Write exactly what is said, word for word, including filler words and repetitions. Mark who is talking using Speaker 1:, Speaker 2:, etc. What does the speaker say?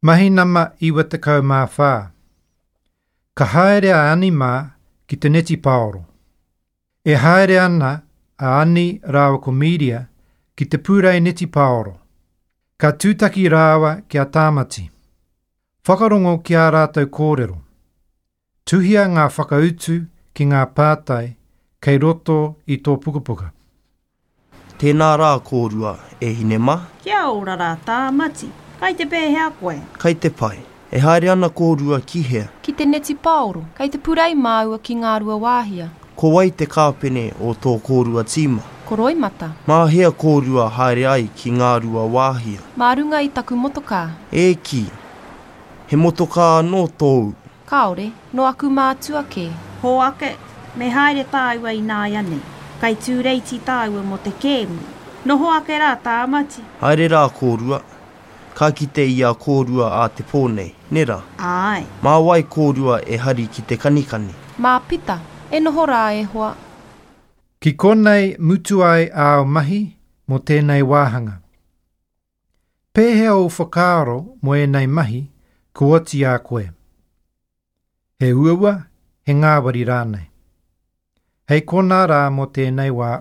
Speaker 1: Mahi nama iwa tekau mā whā. Ka haere a Ani mā ki te netipaoro. E haere ana a Ani rāua ko Mīria ki te pūrei netipaoro. Ka tūtaki rāua ki a Tāmati. Whakarongo ki ā rātou kōrero. Tuhia ngā whakautu ki ngā pātai kei roto i tō pukapuka.
Speaker 2: Tēnā rā kōrua, e hine mā.
Speaker 3: Kia ora rā, Tāmati. Kai te pēhea koe?
Speaker 2: Kai te pai. E haere ana kōrua ki hea?
Speaker 4: Ki te netipaoro. Kei te purei māua ki Ngāruawāhia.
Speaker 2: Ko wai te kāpene o tō kōrua tīma?
Speaker 4: Ko Roimata.
Speaker 2: Mā hea kōrua haere ai ki Ngāruawāhia?
Speaker 4: Mā runga i taku motokā.
Speaker 2: E kī, he motokā anō tōu?
Speaker 4: Kāore, nō aku mātua kē.
Speaker 3: Hoake, me haere tāua ināianei. Kai tūreiti tāua mō te kēmu. Noho ake rā, Tāmati.
Speaker 2: Haere rā kōrua. Ka kite i a kōrua ā te pō nei, nē rā?
Speaker 3: Āe.
Speaker 2: Mā wai kōrua e hari ki te kanikani?
Speaker 4: Mā Pita, e noho rā e hoa.
Speaker 1: Ki konei mutu ai āu mahi mō tēnei wāhanga. Pēhea ō whakaaro mō ēnei mahi kua oti i a koe? He uaua, he ngāwari rānei. Hei konā rā mō tēnei wā.